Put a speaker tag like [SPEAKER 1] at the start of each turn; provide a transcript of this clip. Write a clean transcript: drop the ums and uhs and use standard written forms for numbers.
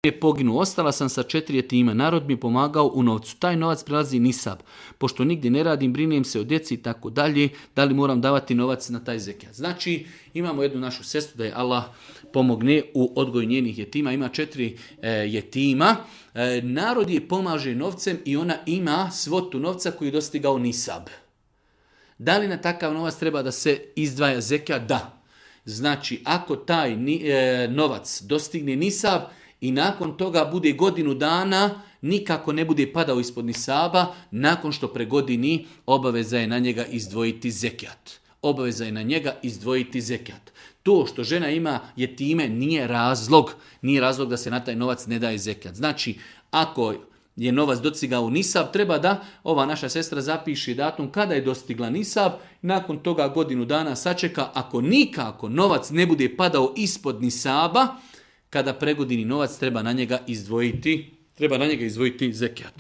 [SPEAKER 1] je poginuo, ostala sam sa 4 jetima, narod mi pomagao u novcu, taj novac prelazi nisab, pošto nigdje ne radim, brinem se o djeci i tako dalje, da li moram davati novac na taj zekijat. Znači, imamo jednu našu sestru da je Allah pomogne u odgoju njenih jetima, ima 4 jetima, narod je pomaže novcem i ona ima svotu novca koji je dostigao nisab. Da li na takav novac treba da se izdvaja zekijat? Da. Znači, ako taj novac dostigne nisab, i nakon toga bude godinu dana, nikako ne bude padao ispod nisaba, nakon što pregodini, obaveza je na njega izdvojiti zekijat. Obaveza je na njega izdvojiti zekijat. To što žena ima jetime nije razlog da se na taj novac ne daje zekijat. Znači, ako je novac dostigao nisab, treba da ova naša sestra zapiše datum kada je dostigla nisab, nakon toga godinu dana sačeka, ako nikako novac ne bude padao ispod nisaba, kada pregodini novac treba na njega izdvojiti zekijat.